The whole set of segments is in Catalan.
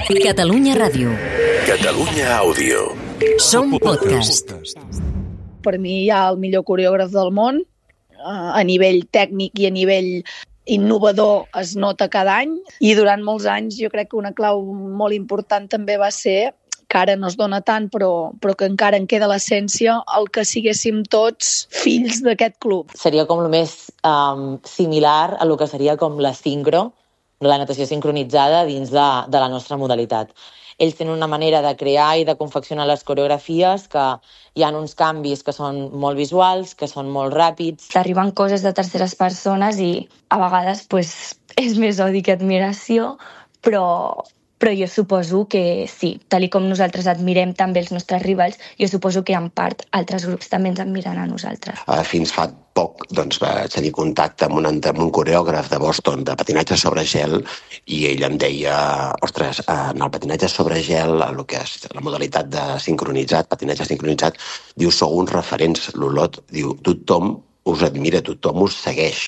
Catalunya Ràdio. Catalunya Àudio. Som podcast. Per mi hi ha el millor coreògraf del món, a nivell tècnic i a nivell innovador es nota cada any, i durant molts anys jo crec que una clau molt important també va ser, que ara no es dona tant però que encara en queda l'essència, el que siguéssim tots fills d'aquest club. Seria com el més similar a lo que seria com la sincro, la natació sincronitzada dins de la nostra modalitat. Ells tenen una manera de crear i de confeccionar les coreografies que hi ha uns canvis que són molt visuals, que són molt ràpids. Arriben coses de terceres persones i a vegades és més odi que admiració, però jo suposo que sí, tal com nosaltres admirem també els nostres rivals, jo suposo que en part altres grups també ens admiren a nosaltres. Fins fa poc vaig tenir contacte amb un coreògraf de Boston de patinatge sobre gel i ell em deia, ostres, en el patinatge sobre gel, el que és la modalitat de sincronitzat, patinatge sincronitzat, diu, sou uns referents, l'Olot, diu, tothom us admira, tothom us segueix.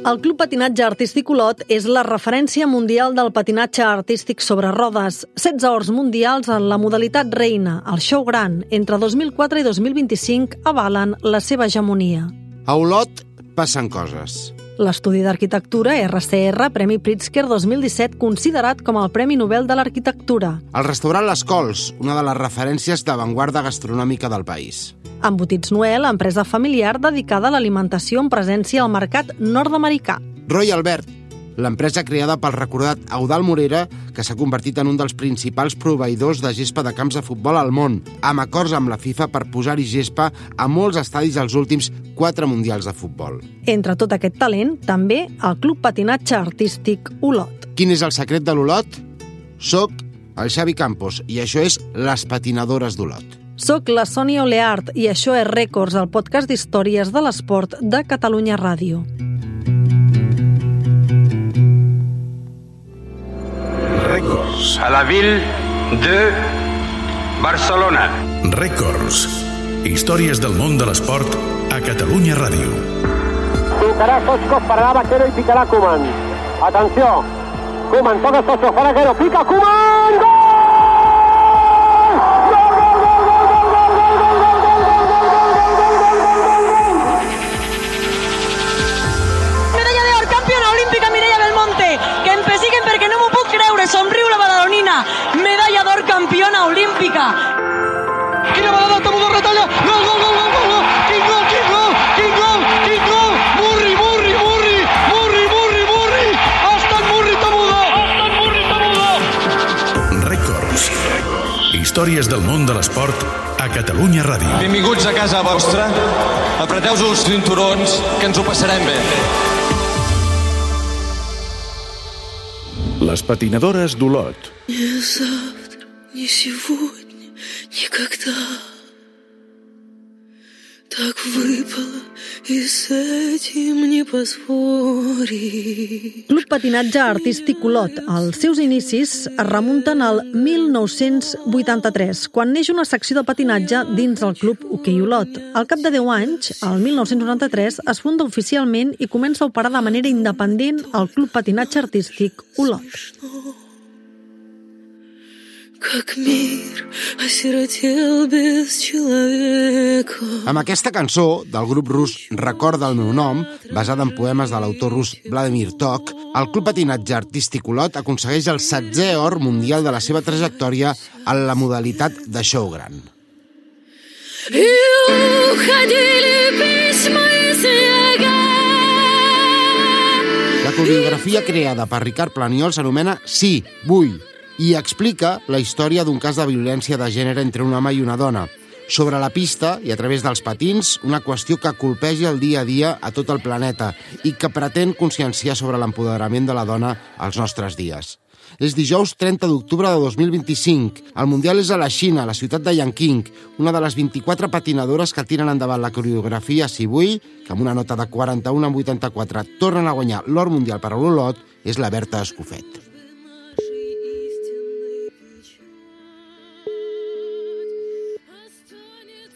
El Club Patinatge Artístic Olot és la referència mundial del patinatge artístic sobre rodes. 16 ors mundials en la modalitat reina, el show gran, entre 2004 i 2025 avalen la seva hegemonia. A Olot passen coses. L'estudi d'arquitectura RCR, Premi Pritzker 2017, considerat com el Premi Nobel de l'Arquitectura. El restaurant Les Cols, una de les referències d'avantguarda gastronòmica del país. Embotits Noel, empresa familiar dedicada a l'alimentació amb presència al mercat nord-americà. Roy Albert, l'empresa creada pel recordat Eudald Morera, que s'ha convertit en un dels principals proveïdors de gespa de camps de futbol al món, amb acords amb la FIFA per posar-hi gespa a molts estadis als últims 4 mundials de futbol. Entre tot aquest talent, també el Club Patinatge Artístic Olot. Quin és el secret de l'Olot? Soc el Xavi Campos i això és Les Patinadores d'Olot. Soc la Sònia Oleart i això és Rècords, el podcast d'històries de l'esport de Catalunya Ràdio. Rècords. A la ville de Barcelona. Rècords. Històries del món de l'esport a Catalunya Ràdio. Tocarà Soscos, pararà Vaquero i picarà Koeman. Atenció. Koeman, toca Soscos, fa Vaquero, pica Koeman! Gol! Somriu la badalonina, medalla d'or campiona olímpica. Quina balada, Tamudo retalla, gol, gol, gol, gol, gol, quin gol, quin gol, quin gol, quin gol, Murri, Murri, Murri, Murri, Murri, Murri, ha estat Murri Tamudo, ha estat Murri Tamudo. Rècords. Històries del món de l'esport a Catalunya Ràdio. Benvinguts a casa vostra, apreteu-vos els cinturons, que ens ho passarem bé. Les patinadores d'Olot. Ни завтра, ни сегодня, никогда. Так выпало, и с этим не поспорить. Club Patinatge Artístic Olot. Els seus inicis es remunten al 1983, quan neix una secció de patinatge dins el Club Hoquei Olot. Al cap de 10 anys, el 1993, es funda oficialment i comença a operar de manera independent el Club Patinatge Artístic Olot. Как мир осиротел без человека. Amb aquesta cançó, del grup rus Recorda el meu nom, basada en poemes de l'autor rus Vladimir Tok, el Club Patinatge Artístic Olot aconsegueix el 16è or mundial de la seva trajectòria en la modalitat de show gran. La coreografia creada per Ricard Planiol s'anomena Sí, vull, i explica la història d'un cas de violència de gènere entre un home i una dona. Sobre la pista i a través dels patins, una qüestió que colpeja el dia a dia a tot el planeta i que pretén conscienciar sobre l'empoderament de la dona als nostres dies. És dijous 30 d'octubre de 2025. El Mundial és a la Xina, a la ciutat de Yanqing, una de les 24 patinadores que tiren endavant la coreografia Si vull, que amb una nota de 41,84 tornen a guanyar l'or mundial per a l'Olot, és la Berta Escofet.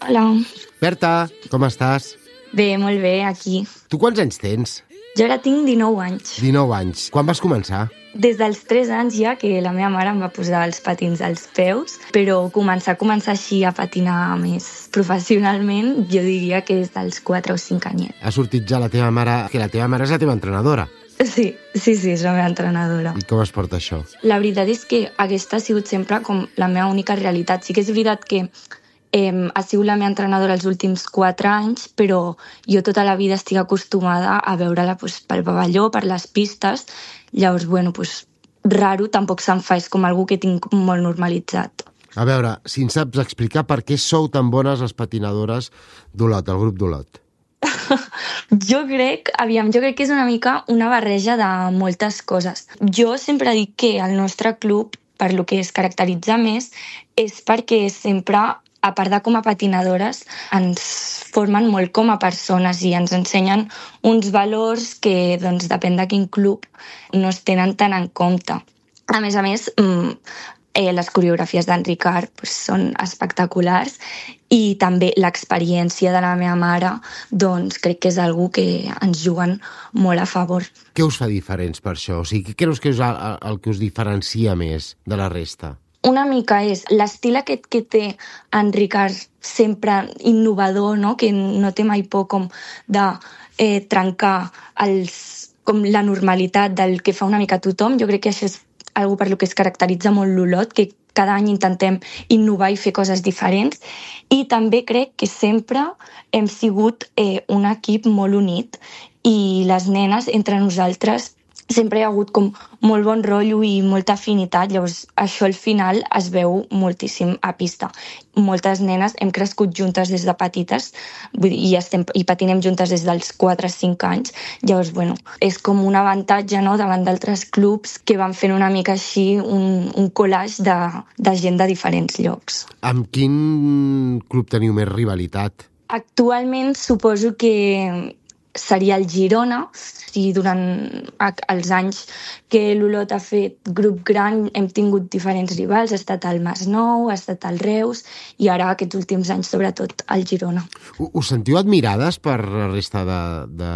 Hola. Berta, com estàs? Bé, molt bé, aquí. Tu quants anys tens? Jo ara tinc 19 anys. 19 anys. Quan vas començar? Des dels 3 anys ja que la meva mare em va posar els patins als peus, però començar així a patinar més professionalment, jo diria que des dels 4 o 5 anyets. Ha sortit ja la teva mare, que la teva mare és la teva entrenadora. Sí, és la meva entrenadora. I com es porta això? La veritat és que aquesta ha sigut sempre com la meva única realitat. Sí que és veritat que ha sigut la meva entrenadora els últims 4 anys, però jo tota la vida estic acostumada a veure-la pel pavelló, per les pistes. Llavors, raro tampoc se'm fa, és com algú que tinc molt normalitzat. A veure, si ens saps explicar per què sou tan bones les patinadores d'Olot, el grup d'Olot. Jo crec que és una mica una barreja de moltes coses. Jo sempre dic que el nostre club, per lo que es caracteritza més, és perquè sempre, a part de com a patinadores, ens formen molt com a persones i ens ensenyen uns valors que, doncs, depèn de quin club, no es tenen tant en compte. A més, les coreografies d'en Ricard són espectaculars i també l'experiència de la meva mare, doncs crec que és algú que ens juguen molt a favor. Què us fa diferents per això? O sigui, què creus que és el que us diferencia més de la resta? Una mica és l'estil aquest que té en Ricard, sempre innovador, no? Que no té mai por com de trencar com la normalitat del que fa una mica tothom. Jo crec que això és algo per lo que es caracteritza molt l'Olot, que cada any intentem innovar i fer coses diferents. I també crec que sempre hem sigut un equip molt unit i les nenes, entre nosaltres, sempre hi ha hagut com molt bon rotllo i molta afinitat, llavors això al final es veu moltíssim a pista. Moltes nenes hem crescut juntes des de petites i patinem juntes des dels 4 o 5 anys, llavors és com un avantatge, no?, davant d'altres clubs que van fent una mica així un collage de gent de diferents llocs. Amb quin club teniu més rivalitat? Actualment suposo que seria el Girona. Si durant els anys que l'Olot ha fet grup gran hem tingut diferents rivals, ha estat el Masnou, ha estat el Reus i ara aquests últims anys sobretot el Girona. Us sentiu admirades per la resta de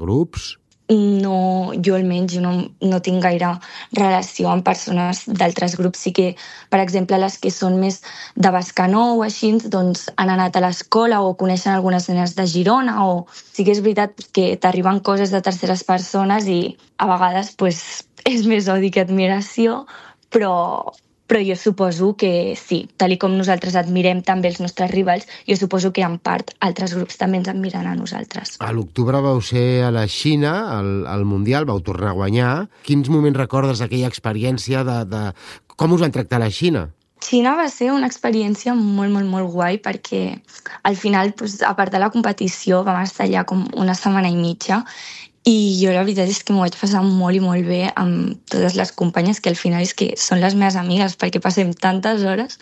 grups? No, jo almenys no tinc gaire relació amb persones d'altres grups. Sí que, per exemple, les que són més de Bescanó o així, doncs han anat a l'escola o coneixen algunes nenes de Girona, o sí que és veritat que t'arriben coses de terceres persones i a vegades és més odi que admiració, però jo suposo que sí, tal com nosaltres admirem també els nostres rivals, jo suposo que en part altres grups també ens admiren a nosaltres. A l'octubre vau ser a la Xina, al Mundial, vau tornar a guanyar. Quins moments recordes d'aquella experiència de com us van tractar a la Xina? Xina va ser una experiència molt, molt, molt guai perquè al final, a part de la competició, vam estar allà com una setmana i mitja i jo la veritat és que m'ho vaig passar molt i molt bé amb totes les companyes, que al final és que són les meves amigues perquè passem tantes hores,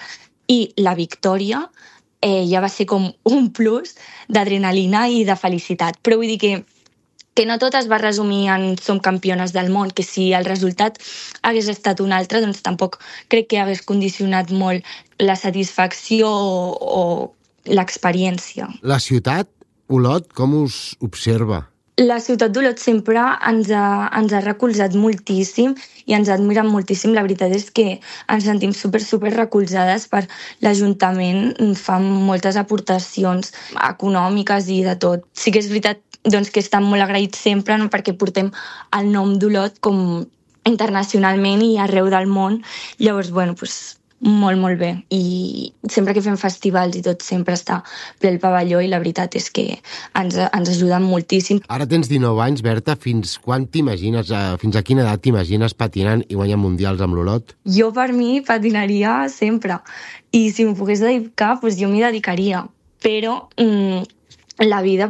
i la victòria ja va ser com un plus d'adrenalina i de felicitat. Però vull dir que no tot es va resumir en som campiones del món, que si el resultat hagués estat un altre, doncs tampoc crec que hagués condicionat molt la satisfacció o l'experiència. La ciutat, Olot, com us observa? La ciutat d'Olot sempre ens ha recolzat moltíssim i ens admira moltíssim. La veritat és que ens sentim super recolzades per l'Ajuntament. Fan moltes aportacions econòmiques i de tot. Sí que és veritat doncs, que estan molt agraïts sempre, no?, perquè portem el nom d'Olot com internacionalment i arreu del món. Llavors, molt, molt bé. I sempre que fem festivals i tot sempre està ple el pavelló i la veritat és que ens ajuden moltíssim. Ara tens 19 anys, Berta. Fins quan t'imagines, fins a quina edat t'imagines patinant i guanyant mundials amb l'Olot? Jo per mi patinaria sempre. I si m'ho pogués dedicar, jo m'hi dedicaria. Però la vida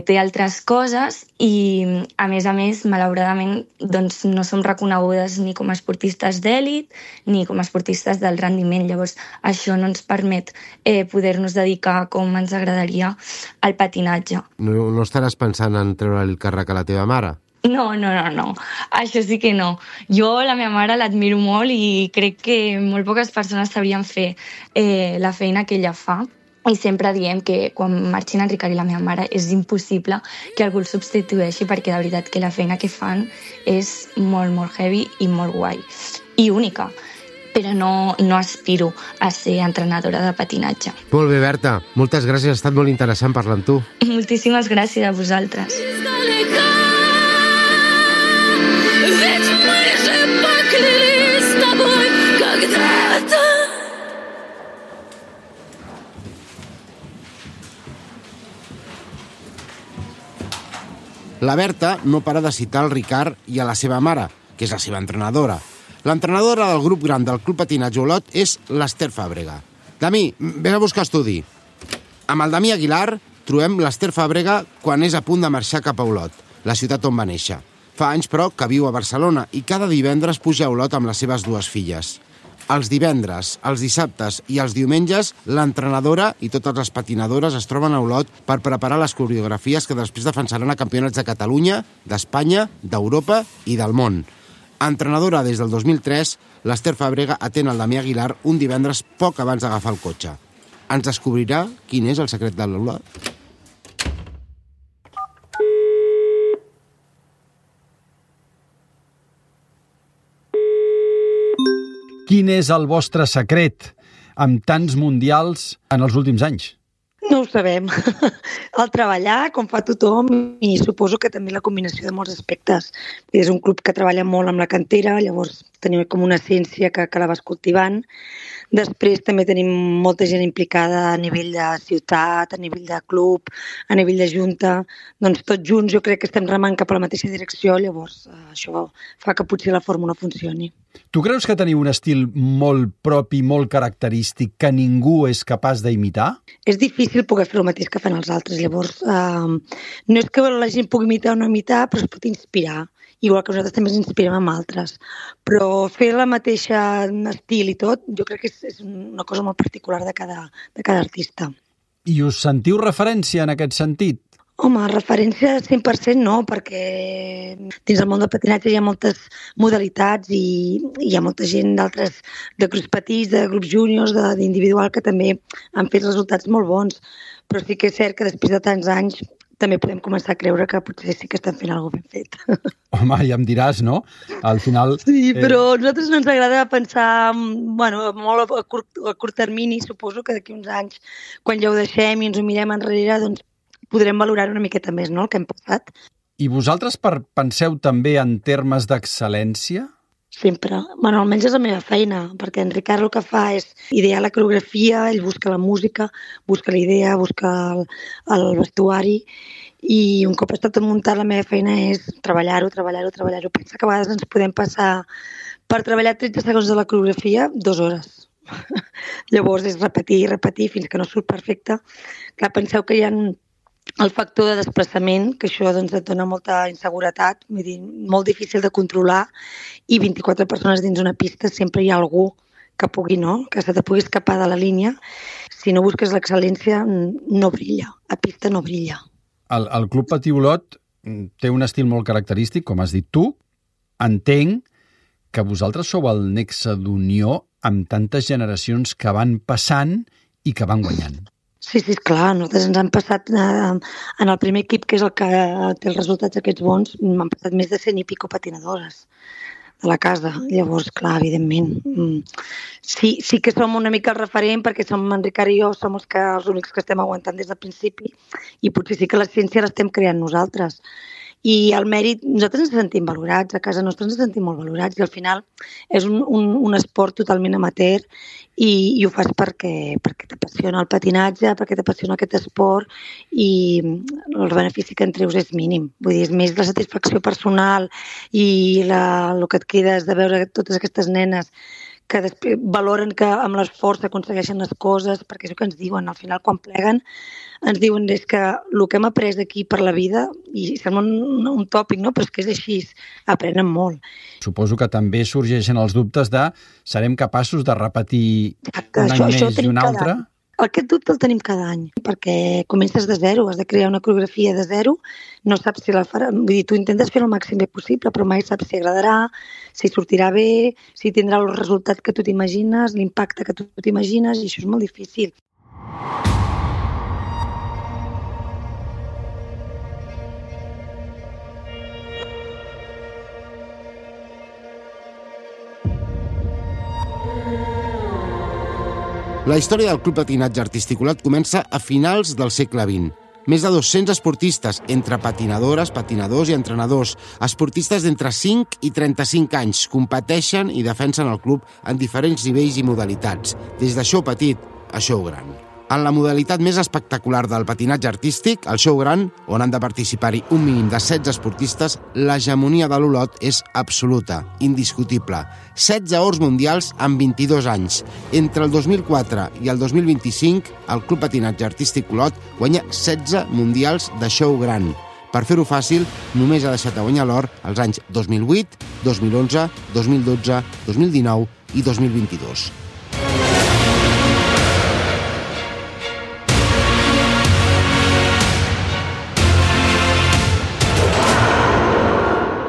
té altres coses i, a més, malauradament, doncs, no som reconegudes ni com a esportistes d'èlit ni com a esportistes del rendiment. Llavors, això no ens permet poder-nos dedicar com ens agradaria al patinatge. No estaràs pensant en treure el càrrec a la teva mare? No. Això sí que no. Jo la meva mare l'admiro molt i crec que molt poques persones sabrien fer la feina que ella fa. I sempre diem que quan marxin en Ricard i la meva mare és impossible que algú el substitueixi, perquè de veritat que la feina que fan és molt, molt heavy i molt guai. I única. Però no aspiro a ser entrenadora de patinatge. Molt bé, Berta. Moltes gràcies, ha estat molt interessant parlar amb tu. Moltíssimes gràcies a vosaltres. La Berta no para de citar el Ricard i a la seva mare, que és la seva entrenadora. L'entrenadora del grup gran del Club Patinatge Olot és l'Ester Fàbrega. Dami, vés a buscar estudi. Amb el Dami Aguilar trobem l'Ester Fàbrega quan és a punt de marxar cap a Olot, la ciutat on va néixer. Fa anys, però, que viu a Barcelona i cada divendres puja a Olot amb les seves dues filles. Els divendres, els dissabtes i els diumenges, l'entrenadora i totes les patinadores es troben a Olot per preparar les coreografies que després defensaran a campionats de Catalunya, d'Espanya, d'Europa i del món. Entrenadora des del 2003, l'Ester Fàbrega atén el Damià Aguilar un divendres poc abans d'agafar el cotxe. Ens descobrirà quin és el secret de l'Olot. Quin és el vostre secret amb tants mundials en els últims anys? No ho sabem. El treballar, com fa tothom, i suposo que també la combinació de molts aspectes. És un club que treballa molt amb la cantera, llavors tenim com una essència que la vas cultivant. Després també tenim molta gent implicada a nivell de ciutat, a nivell de club, a nivell de junta. Doncs tots junts jo crec que estem remant cap a la mateixa direcció, llavors això fa que potser la fórmula funcioni. Tu creus que teniu un estil molt propi, molt característic, que ningú és capaç d'imitar? És difícil poder fer el mateix que fan els altres, llavors no és que la gent pugui imitar o no imitar, però es pot inspirar. Igual que nosaltres també ens inspirem amb altres. Però fer la mateixa estil i tot, jo crec que és una cosa molt particular de cada artista. I us sentiu referència en aquest sentit? Home, referència 100% no, perquè dins el món del patinatge hi ha moltes modalitats i hi ha molta gent d'altres, de grups petits, de grups júniors, d'individual, que també han fet resultats molt bons. Però sí que és cert que després de tants anys també podem començar a creure que potser sí que estem fent alguna cosa ben fet. Home, ja em diràs, no? Al final... Sí, però a nosaltres no ens agrada pensar molt a curt termini. Suposo que d'aquí uns anys, quan ja ho deixem i ens ho mirem enrere, doncs podrem valorar una miqueta més, no?, el que hem passat. I vosaltres penseu també en termes d'excel·lència? Sempre. Bueno, almenys és la meva feina, perquè en Ricard el que fa és idear la coreografia, ell busca la música, busca la idea, busca el vestuari, i un cop està tot muntat, la meva feina és treballar-ho. Pensa que a vegades ens podem passar per treballar 13 segons de la coreografia 2 hores. Llavors és repetir fins que no surt perfecte. Clar, penseu que hi ha el factor de desplaçament, que això doncs, et dona molta inseguretat, vull dir, molt difícil de controlar, i 24 persones dins una pista sempre hi ha algú que pugui, no?, que se te pugui escapar de la línia. Si no busques l'excel·lència, no brilla. A pista no brilla. El Club Patí Olot té un estil molt característic, com has dit tu. Entenc que vosaltres sou el nexe d'unió amb tantes generacions que van passant i que van guanyant. Sí, esclar, nosaltres ens han passat en el primer equip, que és el que té els resultats aquests bons, m'han passat més de 100 i pico patinadores de la casa. Llavors, clar, evidentment, sí que som una mica el referent, perquè som en Ricard i jo, som els únics que estem aguantant des del principi, i potser sí que la ciència l'estem creant nosaltres. I el mèrit, nosaltres ens sentim valorats, a casa nostra ens sentim molt valorats, i al final és un esport totalment amateur, i ho fas perquè t'apassiona el patinatge, perquè t'apassiona aquest esport, i el benefici que en treus és mínim. Vull dir, és més la satisfacció personal i el que et queda és de veure totes aquestes nenes que després valoren que amb l'esforç s'aconsegueixen les coses, perquè és el que ens diuen. Al final, quan pleguen, ens diuen és que el que hem après aquí per la vida, i sembla un tòpic, no? Però és que és així, aprenen molt. Suposo que també sorgeixen els dubtes de serem capaços de repetir un any més i un altre? Aquest dubte el tenim cada any, perquè comences de zero, has de crear una coreografia de zero, no saps si la farà, vull dir, tu intentes fer el màxim bé possible, però mai saps si agradarà, si sortirà bé, si tindrà el resultat que tu t'imagines, l'impacte que tu t'imagines, i això és molt difícil. La història del Club Patinatge Artístic Olot comença a finals del segle XX. Més de 200 esportistes, entre patinadores, patinadors i entrenadors. Esportistes d'entre 5 i 35 anys competeixen i defensen el club en diferents nivells i modalitats, des de show petit a show gran. En la modalitat més espectacular del patinatge artístic, el show gran, on han de participar-hi un mínim de 16 esportistes, l'hegemonia de l'Olot és absoluta, indiscutible. 16 ors mundials en 22 anys. Entre el 2004 i el 2025, el Club Patinatge Artístic Olot guanya 16 mundials de show gran. Per fer-ho fàcil, només ha deixat de guanyar l'or els anys 2008, 2011, 2012, 2019 i 2022.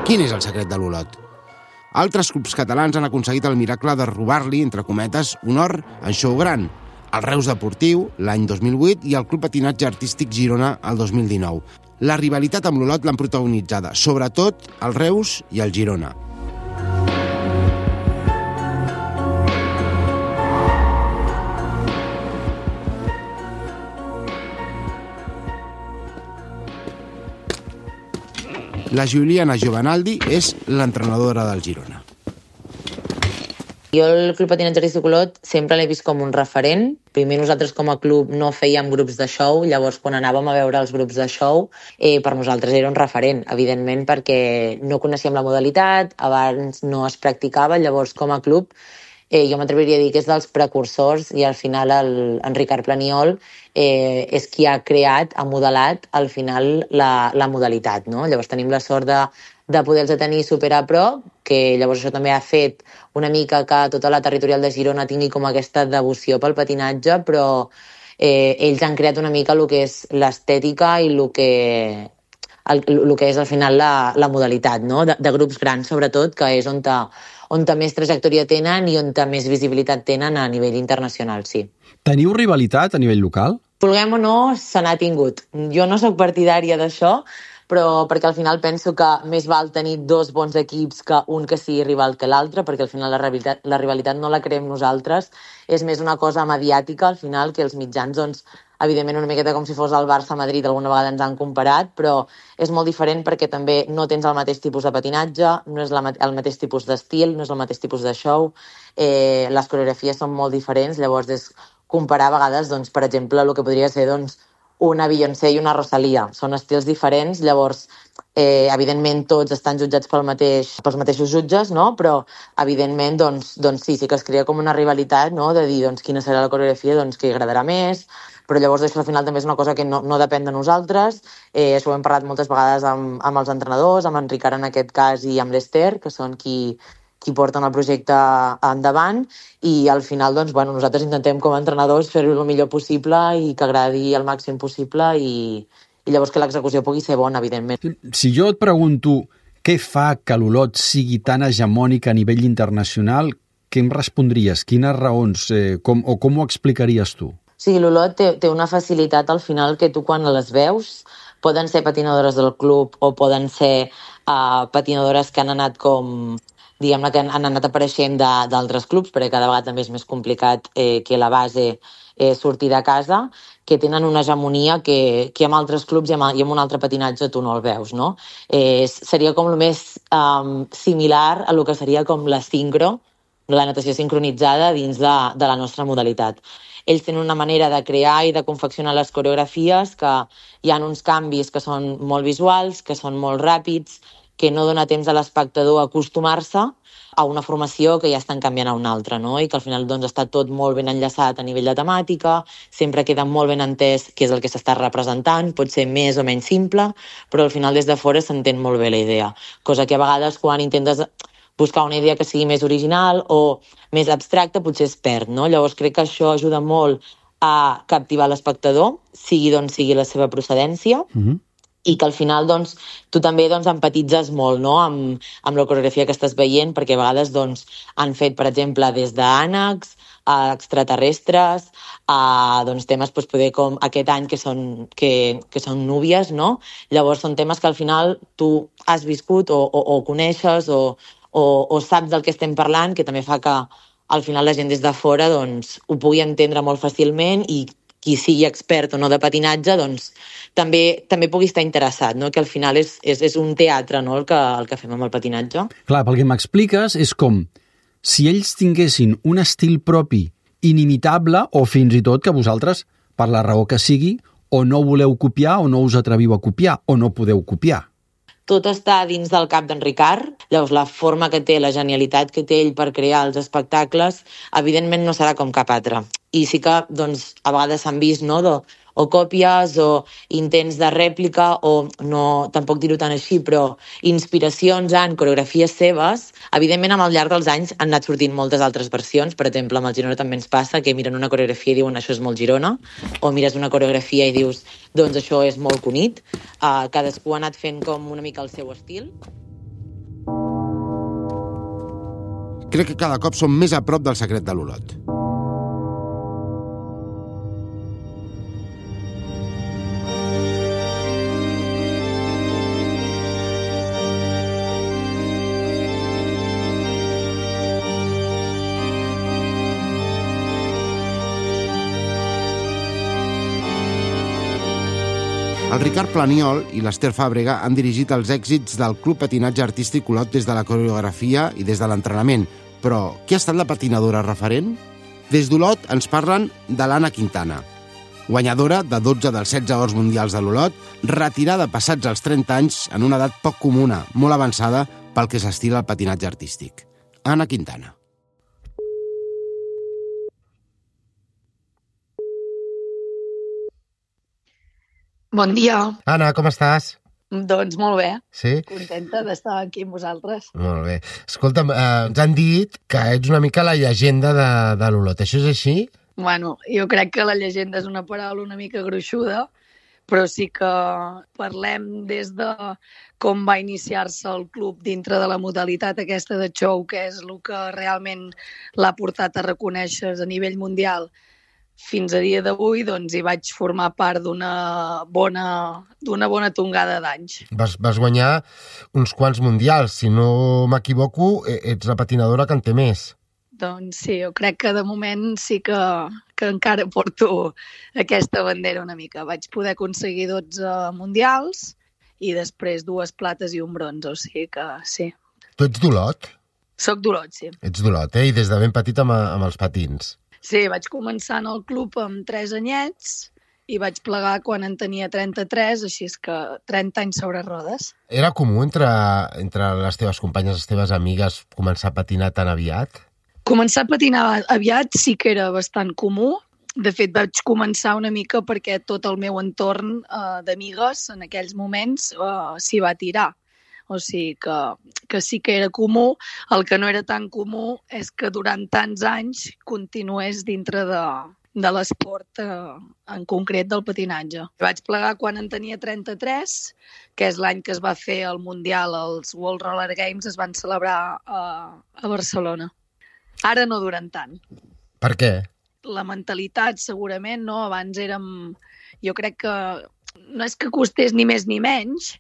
Quin és el secret de l'Olot? Altres clubs catalans han aconseguit el miracle de robar-li, entre cometes, un or en show gran. El Reus Deportiu, l'any 2008, i el Club Patinatge Artístic Girona, el 2019. La rivalitat amb l'Olot l'han protagonitzada, sobretot el Reus i el Girona. La Juliana Giovanaldi és l'entrenadora del Girona. Jo el Club Patinatge Artístic Olot sempre l'he vist com un referent. Primer nosaltres com a club no fèiem grups de show, llavors quan anàvem a veure els grups de show, per nosaltres era un referent, evidentment, perquè no coneixíem la modalitat, abans no es practicava, llavors com a club jo m'atreviria a dir que és dels precursors i al final en Ricard Planiol és qui ha creat, ha modelat al final la modalitat, no? Llavors tenim la sort de poder-los tenir super a prop, que llavors això també ha fet una mica que tota la territorial de Girona tingui com aquesta devoció pel patinatge, però ells han creat una mica el que és l'estètica i el que és al final la modalitat, no? De grups grans sobretot, que és on més trajectòria tenen i on més visibilitat tenen a nivell internacional, sí. Teniu rivalitat a nivell local? Vulguem o no, se n'ha tingut. Jo no sóc partidària d'això, però perquè al final penso que més val tenir dos bons equips que un que sigui rival que l'altre, perquè al final la rivalitat no la creem nosaltres, és més una cosa mediàtica, al final, que els mitjans, doncs, evidentment una miqueta com si fos el Barça-Madrid, alguna vegada ens han comparat, però és molt diferent perquè també no tens el mateix tipus de patinatge, no és el mateix tipus d'estil, no és el mateix tipus de show, les coreografies són molt diferents, llavors és comparar a vegades, doncs, per exemple, el que podria ser doncs, una Beyoncé i una Rosalía. Són estils diferents, llavors, evidentment, tots estan jutjats pels mateixos jutges, no? Però, evidentment, doncs sí que es crea com una rivalitat, no? De dir doncs, quina serà la coreografia doncs, que agradarà més, però llavors això al final també és una cosa que no depèn de nosaltres. Això ho hem parlat moltes vegades amb els entrenadors, amb en Ricard en aquest cas i amb l'Ester, que són qui porten el projecte endavant, i al final doncs, nosaltres intentem com a entrenadors fer-ho el millor possible i que agradi el màxim possible i llavors que l'execució pugui ser bona, evidentment. Si jo et pregunto què fa que l'Olot sigui tan hegemònic a nivell internacional, què em respondries? Quines raons? Com ho explicaries tu? Sí, l'Olot té una facilitat al final que tu quan les veus poden ser patinadores del club o poden ser patinadores que han anat diguem-ne que han anat apareixent d'altres clubs, perquè cada vegada també és més complicat que la base sortir de casa, que tenen una hegemonia que amb altres clubs i amb un altre patinatge tu no el veus, no? Seria com el més similar a el que seria com la sincro, la natació sincronitzada dins de la nostra modalitat. Ells tenen una manera de crear i de confeccionar les coreografies que hi ha uns canvis que són molt visuals, que són molt ràpids, que no dona temps a l'espectador a acostumar-se a una formació que ja estan canviant a una altra, no? I que al final doncs, està tot molt ben enllaçat a nivell de temàtica, sempre queda molt ben entès què és el que s'està representant, pot ser més o menys simple, però al final des de fora s'entén molt bé la idea, cosa que a vegades quan intentes buscar una idea que sigui més original o més abstracta potser es perd, no? Llavors crec que això ajuda molt a captivar l'espectador, sigui d'on sigui la seva procedència, i que al final doncs, tu també empatitzes molt, no? amb la coreografia que estàs veient, perquè a vegades han fet, per exemple, des d'ànecs a extraterrestres, a temes poder com aquest any que són núvies, no? Llavors són temes que al final tu has viscut o coneixes o saps del que estem parlant, que també fa que al final la gent des de fora doncs, ho pugui entendre molt fàcilment i qui sigui expert o no de patinatge doncs, també pugui estar interessat, no? Que al final és un teatre, no? el que fem amb el patinatge. Clar, pel que m'expliques és com si ells tinguessin un estil propi inimitable o fins i tot que vosaltres, per la raó que sigui, o no voleu copiar o no us atreviu a copiar o no podeu copiar. Tot està dins del cap d'en Ricard, llavors la forma que té, la genialitat que té ell per crear els espectacles, evidentment no serà com cap altre. I sí que doncs, a vegades s'han vist no, o còpies o intents de rèplica o no, tampoc dir-ho tan així, però inspiracions en coreografies seves. Evidentment, al llarg dels anys han anat sortint moltes altres versions. Per exemple, amb el Girona també ens passa que miren una coreografia i diuen això és molt Girona, o mires una coreografia i dius doncs això és molt Cunit. Cadascú ha anat fent com una mica el seu estil. Crec que cada cop som més a prop del secret de l'Olot. El Ricard Planiol i l'Ester Fàbrega han dirigit els èxits del Club Patinatge Artístic Olot des de la coreografia i des de l'entrenament. Però qui ha estat la patinadora referent? Des d'Olot ens parlen de l'Anna Quintana, guanyadora de 12 dels 16 ors mundials de l'Olot, retirada passats els 30 anys en una edat poc comuna, molt avançada pel que s'estila el patinatge artístic. Anna Quintana. Bon dia. Anna, com estàs? Doncs molt bé. Sí? Contenta d'estar aquí amb vosaltres. Molt bé. Escolta'm, ens han dit que ets una mica la llegenda de l'Olot. Això és així? Bueno, jo crec que la llegenda és una paraula una mica gruixuda, però sí que parlem des de com va iniciar-se el club dintre de la modalitat aquesta de show, que és el que realment l'ha portat a reconèixer a nivell mundial. Fins a dia d'avui doncs, hi vaig formar part d'una bona tongada d'anys. Vas guanyar uns quants mundials. Si no m'equivoco, ets la patinadora que en té més. Doncs sí, jo crec que de moment sí que encara porto aquesta bandera una mica. Vaig poder aconseguir 12 mundials i després 2 plates i un bronze, o sigui que sí. Tu ets d'Olot? Soc d'Olot, sí. Ets d'Olot, I des de ben petit amb els patins. Sí, vaig començar en el club amb 3 anyets i vaig plegar quan en tenia 33, així és que 30 anys sobre rodes. Era comú entre les teves companyes, les teves amigues, començar a patinar tan aviat? Començar a patinar aviat sí que era bastant comú. De fet, vaig començar una mica perquè tot el meu entorn d'amigues en aquells moments s'hi va tirar. O sigui que sí que era comú. El que no era tan comú és que durant tants anys continués dintre de l'esport, en concret del patinatge. Vaig plegar quan en tenia 33, que és l'any que es va fer el Mundial, els World Roller Games es van celebrar a Barcelona. Ara no duren tant. Per què? La mentalitat, segurament, no? Abans érem... Jo crec que no és que costés ni més ni menys,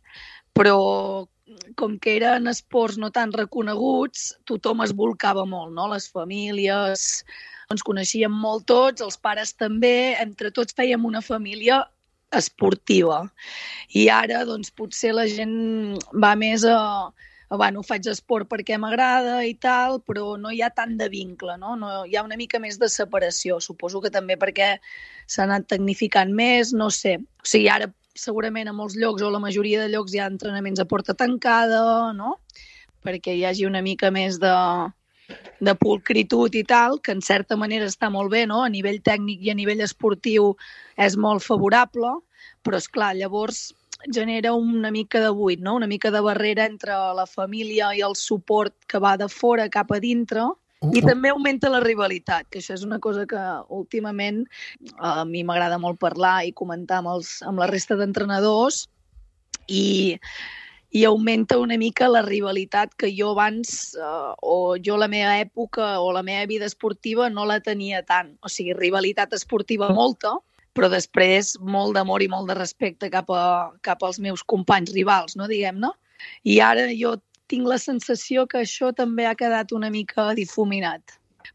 però com que eren esports no tan reconeguts, tothom es volcava molt, no? Les famílies, ens coneixíem molt tots, els pares també, entre tots fèiem una família esportiva. I ara, doncs, potser la gent va més bueno, faig esport perquè m'agrada i tal, però no hi ha tant de vincle, no? Hi ha una mica més de separació. Suposo que també perquè s'ha anat tecnificant més, no sé. O sigui, ara segurament a molts llocs o la majoria de llocs hi ha entrenaments a porta tancada, no? Perquè hi hagi una mica més de pulcritud i tal, que en certa manera està molt bé, no? A nivell tècnic i a nivell esportiu és molt favorable, però esclar, llavors genera una mica de buit, no? Una mica de barrera entre la família i el suport que va de fora cap a dintre, i també augmenta la rivalitat, que això és una cosa que últimament a mi m'agrada molt parlar i comentar amb la resta d'entrenadors, i augmenta una mica la rivalitat que jo abans, o jo la meva època o la meva vida esportiva no la tenia tant. O sigui, rivalitat esportiva molta, però després molt d'amor i molt de respecte cap als meus companys rivals, no, diguem-ne. I ara jo tinc la sensació que això també ha quedat una mica difuminat.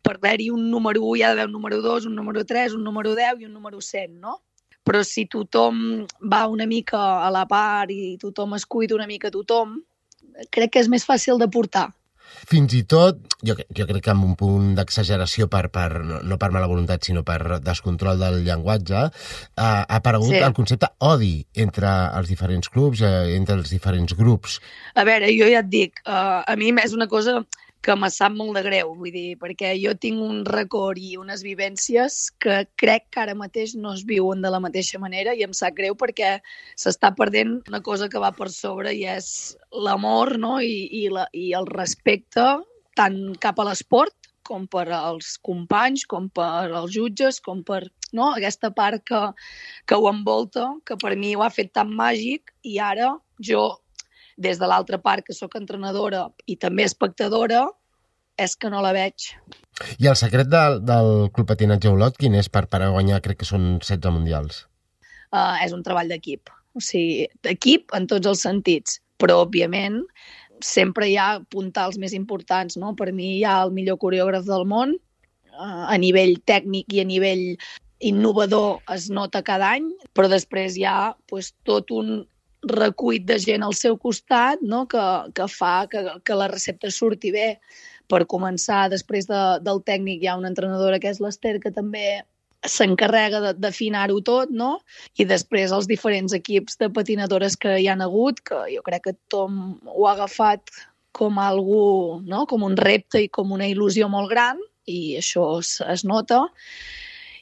per haver-hi un número 1 hi ha d'haver un número 2, un número 3, un número 10 i un número 100, no? Però si tothom va una mica a la part i tothom es cuida una mica a tothom, crec que és més fàcil de portar. Fins i tot, jo crec que amb un punt d'exageració no per mala voluntat, sinó per descontrol del llenguatge, ha aparegut el concepte odi entre els diferents clubs, entre els diferents grups. A veure, jo ja et dic, a mi és una cosa que me sap molt de greu, vull dir, perquè jo tinc un record i unes vivències que crec que ara mateix no es viuen de la mateixa manera i em sap greu perquè s'està perdent una cosa que va per sobre i és l'amor, no? I el respecte tant cap a l'esport com per als companys, com per als jutges, com per aquesta part que ho envolta, que per mi ho ha fet tan màgic i ara jo, des de l'altra part, que sóc entrenadora i també espectadora, és que no la veig. I el secret del Club Patinatge Olot, quin és per guanyar, crec que són 16 mundials? És un treball d'equip. O sigui, d'equip en tots els sentits. Però, òbviament, sempre hi ha puntals més importants, no? Per mi hi ha el millor coreògraf del món, a nivell tècnic i a nivell innovador es nota cada any, però després hi ha tot un recull de gent al seu costat, no? que fa que la recepta surti bé. Per començar, després del tècnic hi ha una entrenadora que és l'Ester, que també s'encarrega d'afinar-ho tot, no? I després els diferents equips de patinadores que hi han hagut, que jo crec que tothom ho ha agafat com algú, no? Com un repte i com una il·lusió molt gran, i això es nota.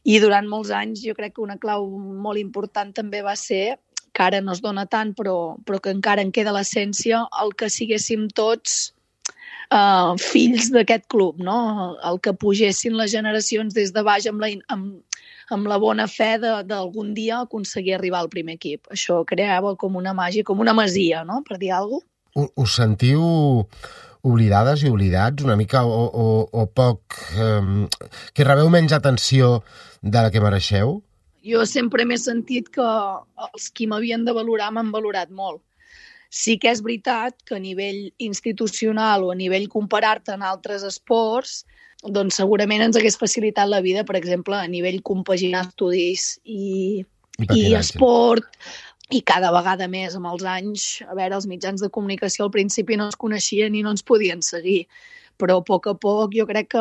I durant molts anys jo crec que una clau molt important també va ser que ara no es dona tant, però que encara en queda l'essència, el que siguéssim tots fills d'aquest club, no? El que pugessin les generacions des de baix amb la bona fe d'algun dia aconseguir arribar al primer equip. Això creava com una màgia, com una masia, no? Per dir alguna cosa. Us sentiu oblidades i oblidats una mica o poc... que rebeu menys atenció de la que mereixeu? Jo sempre m'he sentit que els qui m'havien de valorar m'han valorat molt. Sí que és veritat que a nivell institucional o a nivell comparar-te en altres esports, doncs segurament ens hagués facilitat la vida, per exemple, a nivell compaginar estudis i esport, i cada vegada més amb els anys. A veure, els mitjans de comunicació al principi no es coneixien i no ens podien seguir, però a poc jo crec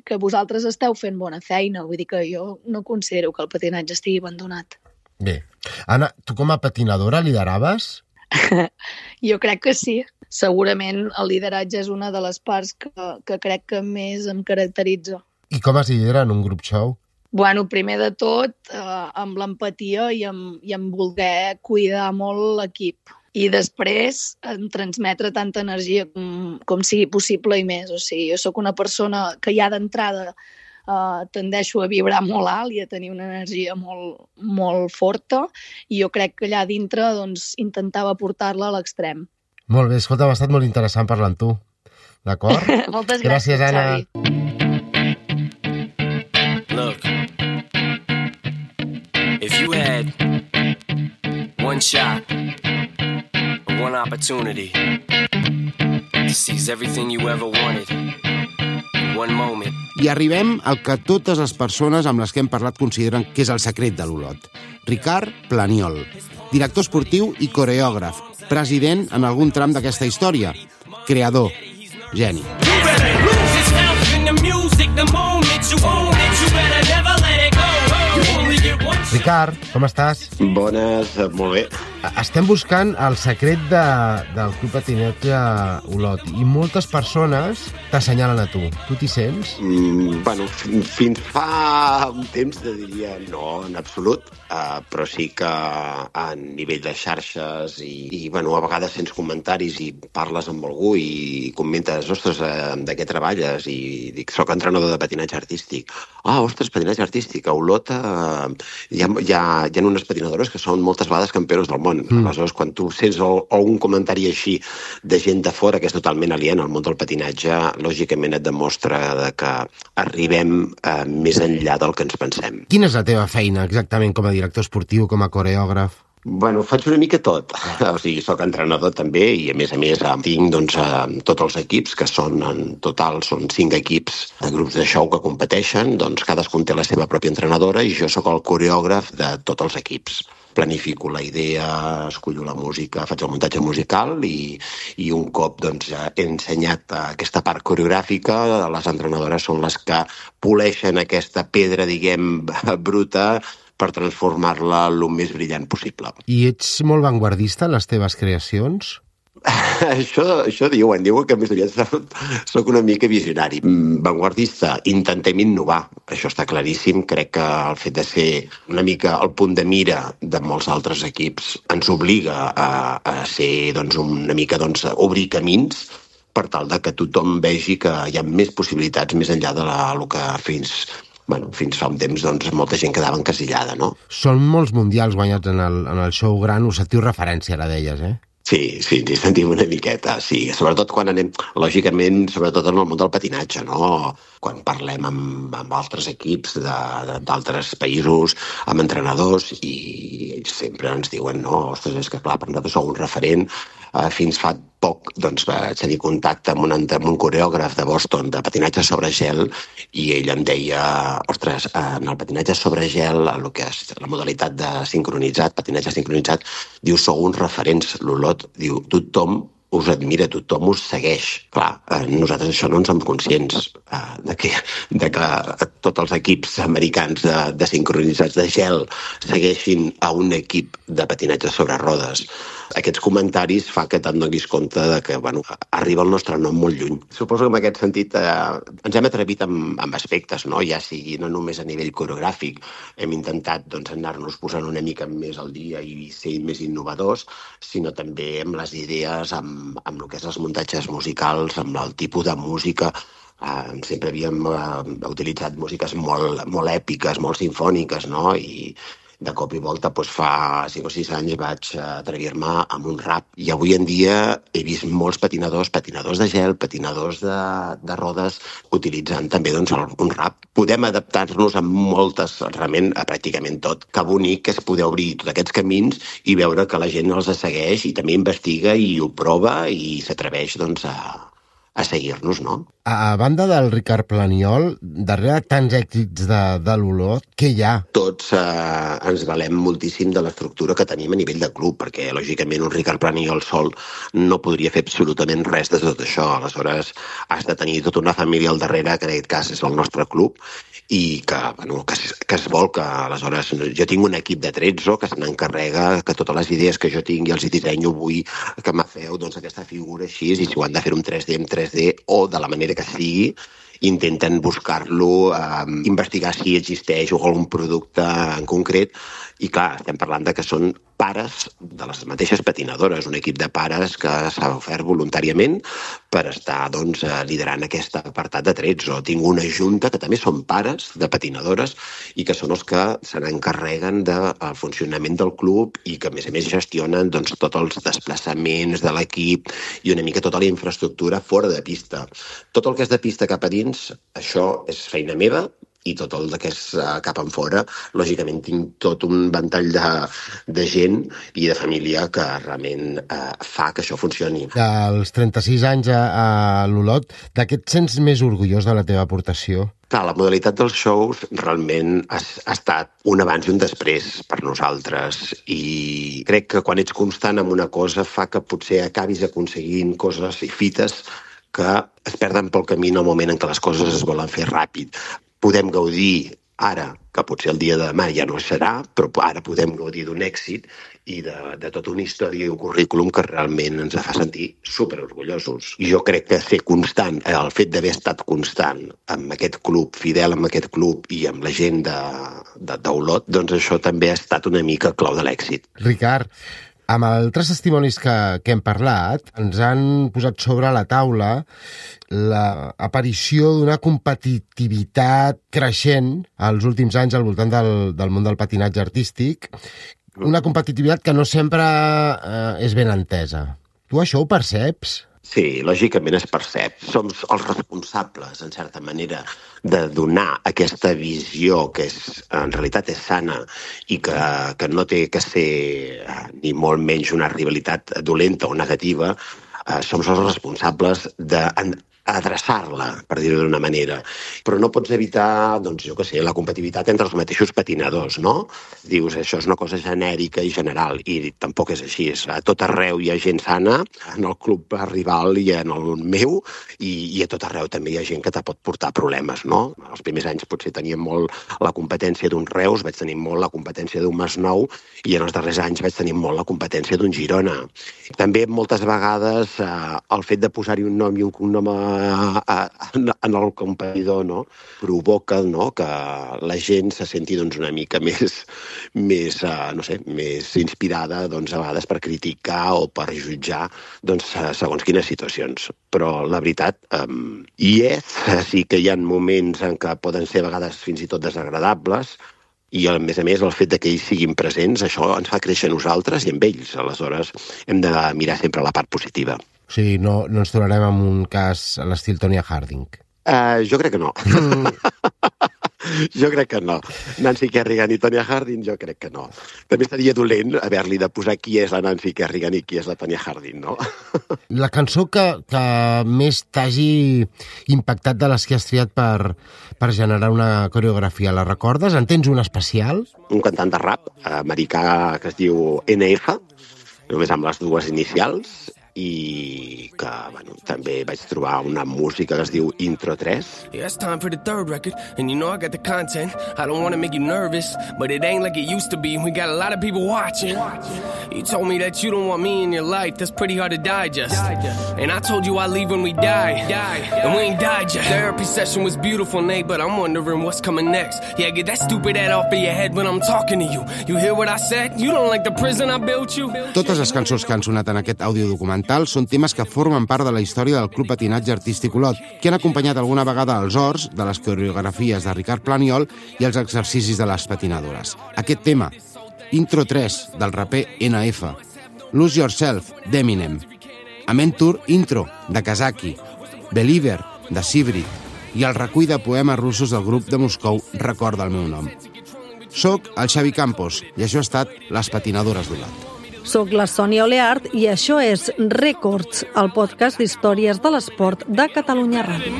que vosaltres esteu fent bona feina. Vull dir que jo no considero que el patinatge estigui abandonat. Bé. Anna, tu com a patinadora lideraves? Jo crec que sí. Segurament el lideratge és una de les parts que crec que més em caracteritza. I com es lidera en un grup show? Bueno, primer de tot, amb l'empatia i amb voler cuidar molt l'equip. I després en transmetre tanta energia com sigui possible i més. O sigui, jo sóc una persona que ja d'entrada tendeixo a vibrar molt alt i a tenir una energia molt, molt forta, i jo crec que allà dintre doncs, intentava portar-la a l'extrem. Molt bé, escolta, m'ha estat molt interessant parlar amb tu. D'acord? Moltes gràcies, Anna. Xavi. Look, if you had one shot, one opportunity to seize everything you ever wanted in one moment. I arribem al que totes les persones amb les que hem parlat consideren que és el secret de l'Olot. Ricard Planiol, director esportiu i coreògraf, president en algun tram d'aquesta història, creador, geni. Ricard, com estàs? Bones, molt bé. Estem buscant el secret del Club Patinatge Olot i moltes persones t'assenyalen a tu. Tu t'hi sents? Bueno, fins fa un temps te diria no, en absolut, però sí que a nivell de xarxes i bueno, a vegades sents comentaris i parles amb algú i comentes, ostres, de què treballes? I dic, soc entrenador de patinatge artístic. Ostres, patinatge artístic. A Olot hi ha unes patinadores que són moltes vegades campiones del món. Aleshores, quan tu sents un comentari així de gent de fora que és totalment aliena al món del patinatge, lògicament et demostra que arribem més enllà del que ens pensem. Quina és la teva feina exactament com a director esportiu, com a coreògraf? Bueno, faig una mica tot. O sigui, soc entrenador també i a més tinc tots els equips, que són en total són 5 equips de grups de show que competeixen, doncs cadascun té la seva pròpia entrenadora i jo sóc el coreògraf de tots els equips. Planifico la idea, escollo la música, faig el muntatge musical i un cop he ensenyat aquesta part coreogràfica, les entrenadores són les que poleixen aquesta pedra, diguem, bruta, per transformar-la el més brillant possible. I ets molt vanguardista en les teves creacions? Això diuen que més aviat soc una mica visionari. Vanguardista, intentem innovar, això està claríssim. Crec que el fet de ser una mica al punt de mira de molts altres equips ens obliga a ser una mica obrir camins per tal de que tothom vegi que hi ha més possibilitats més enllà del que fins fa un temps molta gent quedava encasillada, no? Són molts mundials guanyats en el show gran, us sentiu referència, ara deies, eh? Sí, ens sentim una miqueta, sí. Sobretot quan anem, lògicament, sobretot en el món del patinatge, no? Quan parlem amb altres equips d'altres països, amb entrenadors, i ells sempre ens diuen, no, ostres, és que clar, per nosaltres sou un referent. Fins fa poc vaig tenir contacte amb un coreògraf de Boston de patinatge sobre gel i ell em deia, ostres, en el patinatge sobre gel, el que és la modalitat de sincronitzat, patinatge sincronitzat, diu, sou uns referents, l'Olot, diu, tothom us admira, tothom us segueix. Clar, nosaltres això no en som conscients, de que tots els equips americans de sincronitzats de gel segueixin a un equip de patinatge sobre rodes. Aquests comentaris fa que te'n donis compte de que arriba el nostre nom molt lluny. Suposo que en aquest sentit ens hem atrevit amb aspectes, no? Ja sigui no només a nivell coreogràfic, hem intentat anar-nos posant una mica més al dia i ser més innovadors, sinó també amb les idees, amb el que és els muntatges musicals, amb el tipus de música. Sempre havíem utilitzat músiques molt èpiques, molt sinfòniques, no? I de cop i volta, fa 5 o 6 anys vaig atrevir-me amb un rap. I avui en dia he vist molts patinadors de gel, patinadors de rodes, utilitzant també un rap. Podem adaptar-nos a realment a pràcticament tot. Que bonic és poder obrir tots aquests camins i veure que la gent els segueix i també investiga i ho prova i s'atreveix a seguir-nos, no? A banda del Ricard Planiol, darrere tants èxits de l'Olot, què hi ha? Tots ens valem moltíssim de l'estructura que tenim a nivell de club, perquè, lògicament, un Ricard Planiol sol no podria fer absolutament res de tot això. Aleshores, has de tenir tota una família al darrere, que en aquest cas és el nostre club, i que es volca. Aleshores, jo tinc un equip de 13 que se n'encarrega que totes les idees que jo tinc i els dissenyo vull que me feu aquesta figura així, i si ho han de fer en 3D, en 3D, o de la manera que sigui, intenten buscar-lo, investigar si existeix algun producte en concret, i clar, estem parlant de que són pares de les mateixes patinadores, un equip de pares que s'ha ofert voluntàriament per estar liderant aquest apartat de 13. Tinc una junta que també són pares de patinadores i que són els que se n'encarreguen del funcionament del club i que a més gestionen tots els desplaçaments de l'equip i una mica tota la infraestructura fora de pista. Tot el que és de pista cap a dins, això és feina meva, i tot el que és cap en fora, lògicament tinc tot un ventall de gent i de família que realment fa que això funcioni. Dels 36 anys a l'Olot, de què et sents més orgullós de la teva aportació? Clar, la modalitat dels shows realment ha estat un abans i un després per nosaltres, i crec que quan ets constant en una cosa fa que potser acabis aconseguint coses i fites que es perden pel camí en el moment en què les coses es volen fer ràpid. Podem gaudir ara, que potser el dia de demà ja no serà, però ara podem gaudir d'un èxit i de tota una història i un currículum que realment ens fa sentir superorgullosos. I jo crec que ser constant, el fet d'haver estat constant amb aquest club, fidel amb aquest club i amb la gent d'Olot, doncs això també ha estat una mica clau de l'èxit. Ricard, amb altres testimonis que hem parlat, ens han posat sobre la taula l'aparició d'una competitivitat creixent als últims anys al voltant del món del patinatge artístic, una competitivitat que no sempre és ben entesa. Tu això ho perceps? Sí, lògicament es percep. Som els responsables, en certa manera, de donar aquesta visió que en realitat és sana i que no té que ser ni molt menys una rivalitat dolenta o negativa. Som els responsables d'adreçar-la, per dir-ho d'una manera. Però no pots evitar, doncs, jo què sé, la competitivitat entre els mateixos patinadors, no? Dius, això és una cosa genèrica i general, i tampoc és així. A tot arreu hi ha gent sana, en el club rival i en el meu, i a tot arreu també hi ha gent que te pot portar problemes, no? Els primers anys potser teníem molt la competència d'un Reus, vaig tenir molt la competència d'un Masnou, i en els darrers anys vaig tenir molt la competència d'un Girona. També moltes vegades el fet de posar-hi un nom i un cognom en el competidor, no? Provoca, no?, que la gent se senti doncs, una mica més inspirada doncs, a vegades per criticar o per jutjar doncs, segons quines situacions. Però la veritat sí que hi ha moments en què poden ser a vegades fins i tot desagradables, i a més el fet que ells siguin presents, això ens fa créixer a nosaltres i amb ells. Aleshores hem de mirar sempre la part positiva. O sigui, no ens trobarem en un cas a l'estil Tonya Harding. Jo crec que no. Jo crec que no. Nancy Kerrigan i Tonya Harding, jo crec que no. També seria dolent haver-li de posar qui és la Nancy Kerrigan i qui és la Tonya Harding, no? La cançó que més t'hagi impactat de les que has triat per generar una coreografia, la recordes? En tens una especial? Un cantant de rap americà que es diu NF, només amb les dues inicials, i que, bueno, també vaig trobar una música que es diu Intro 3. Yeah, it's time for the third record, and you know I got the content. I don't want to make you nervous, but it ain't like it used to be. We got a lot of people watching. You told me that you don't want me in your life. That's pretty hard to digest. And I told you I'd leave when we die. And we ain't died yet. Therapy session was beautiful, Nate, but I'm wondering what's coming next. Yeah, get that stupid head off of your head when I'm talking to you. You hear what I said? You don't like the prison I built you? Totes les cançons que han sonat en aquest audiodocumental són temes que formen part de la història del Club Patinatge Artístic Olot, que han acompanyat alguna vegada els horts de les coreografies de Ricard Planiol i els exercicis de les patinadores. Aquest tema, Intro 3, del raper NF, Lose Yourself, d'Eminem, Amentur Intro, de Kazaki, Believer, de Sibrit, i el recull de poemes russos del grup de Moscou Recorda el meu nom. Soc el Xavi Campos i això ha estat Les Patinadores d'Olot. Soc la Sònia Oleart i això és Records, el podcast d'històries de l'esport de Catalunya Ràdio.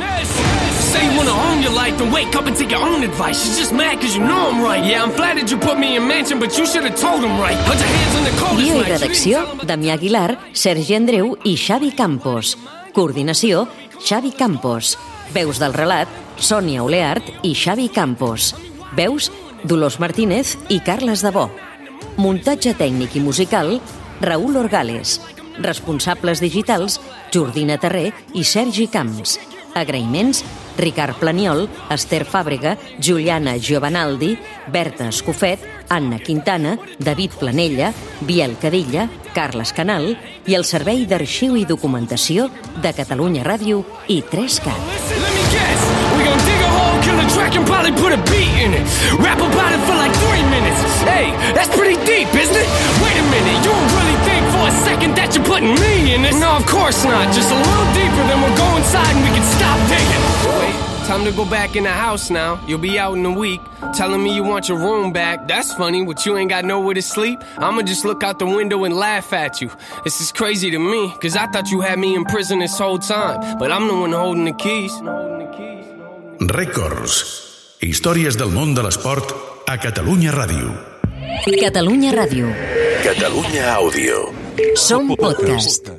Say you wanna own your life and wake up and take your own advice. She's just mad because you know I'm right. Yeah, I'm flattered you put me in mansion, but you should have told him right. Put your hands on the coldest Guió i redacció, Damià Aguilar, Sergi Andreu i Xavi Campos. Coordinació, Xavi Campos. Veus del relat, Sònia Oleart i Xavi Campos. Veus, Dolors Martínez i Carles Debò. Muntatge tècnic i musical, Raül Orgales. Responsables digitals, Jordina Terré i Sergi Camps. Agraïments, Ricard Planiol, Esther Fàbrega, Juliana Giovanaldi, Berta Escofet, Anna Quintana, David Planella, Biel Cadilla, Carles Canal i el Servei d'Arxiu i Documentació de Catalunya Ràdio i 3CAT. Kill a track and probably put a beat in it. Rap about it for like 3 minutes. Hey, that's pretty deep, isn't it? Wait a minute, you don't really think for a second that you're putting me in it? No, of course not. Just a little deeper, then we'll go inside and we can stop digging. Wait, time to go back in the house now. You'll be out in a week, telling me you want your room back. That's funny, but you ain't got nowhere to sleep. I'ma just look out the window and laugh at you. This is crazy to me, cause I thought you had me in prison this whole time. But I'm the one holding the keys. Records. Històries del món de l'esport a Catalunya Ràdio. Catalunya Ràdio. Catalunya Àudio. Som podcast.